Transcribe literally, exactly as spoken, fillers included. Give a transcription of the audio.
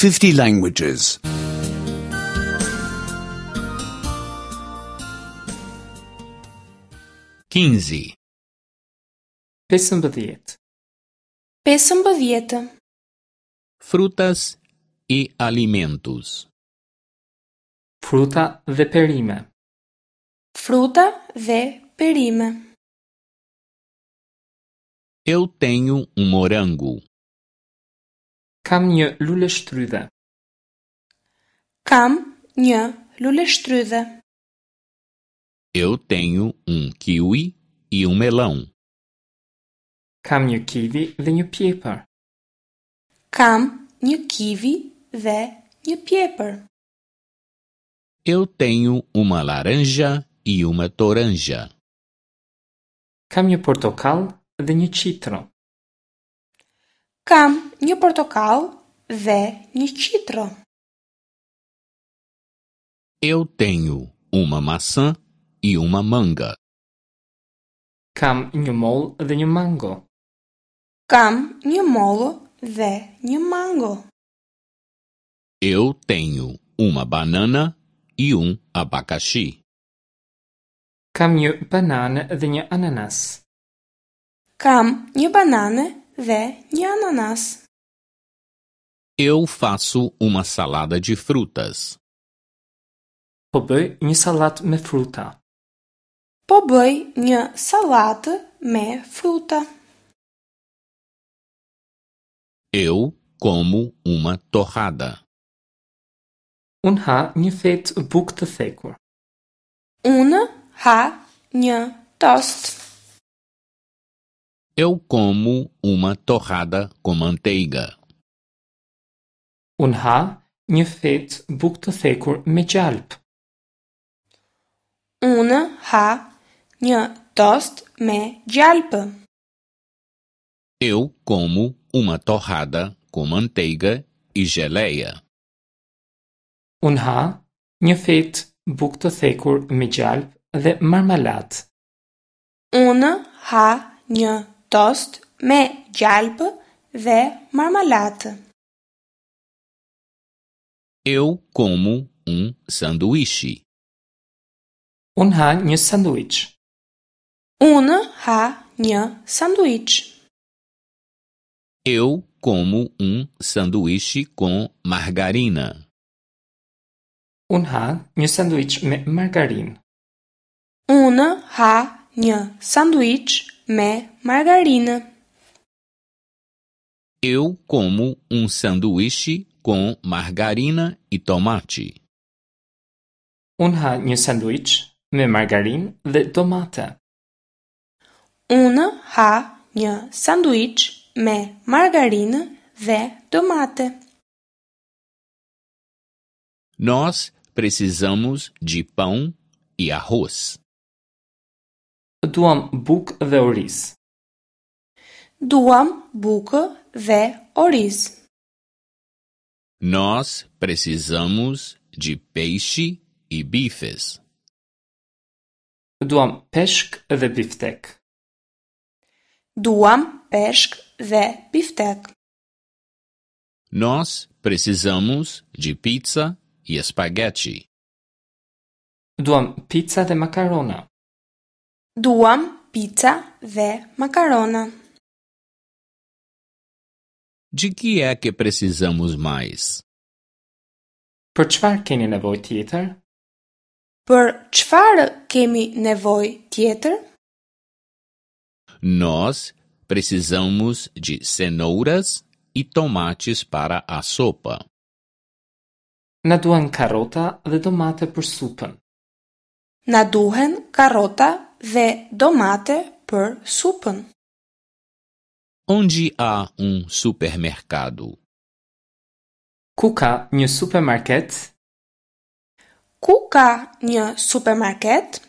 fifty languages. quinze, pesëmbëdhjetë, pesëmbëdhjetë, Frutas e alimentos. Fruta dhe perime. Fruta dhe perime. Eu tenho um morango. Kam një luleshtrydhe. Kam një luleshtrydhe. Eu tenho um kiwi e um melão. Kam një kivi dhe një pjepër. Kam një kivi dhe një pjepër. Eu tenho uma laranja e uma toranja. Kam një portokall dhe një qitro. Kam një portokall dhe një qitro. Eu tenho uma maçã e uma manga. Kam një mollë dhe një mango. Kam një mollë dhe një mango. Eu tenho uma banana e um abacaxi. Kam një banane dhe një ananas. Kam një banane dhe një ananas. Eu faço uma salada de frutas. Po bëj një sallatë me fruta. Po bëj një sallatë me fruta. Eu como uma torrada. Unë ha një fetë bukë të thekur. Unë ha një tost. Eu como uma torrada com manteiga. Unë ha një fetë bukë të thekur me gjalp. Unë ha një tost me gjalpë. Eu como uma torrada com manteiga e geleia. Unë ha një fetë bukë të thekur me gjalp dhe marmalatë. Unë ha një tost me gjalpë dhe marmalatë. Eu como um sanduíche. Unë ha një sanduiç. Unë ha një sanduiç. Eu como um sanduíche com margarina. Unë ha një sanduiç me margarinë. Unë ha një sanduiç me margarinë. Eu como um sanduíche com margarina e tomate. Unë ha një sanduiç me margarinë dhe domate. Unë ha një sanduiç me margarinë dhe domate. Nós precisamos de pão e arroz. Duam bukë dhe oriz. Duam bukë dhe oriz. Nós precisamos de peixe e bifes. Duam peshk dhe biftek. Duam peshk dhe biftek. Nós precisamos de pizza e espaguete. Duam pizza dhe makarona. Duam pizza dhe makarona. De que é que precisamos mais? Për çfarë keni nevojë tjetër? Për çfarë kemi nevojë tjetër? Nós precisamos de cenouras e tomates para a sopa. Na duhen karrota dhe domate për supën. Na duhen karrota dhe domate për supën. Onde há um supermercado? Ku ka një supermarket? Ku ka një supermarket?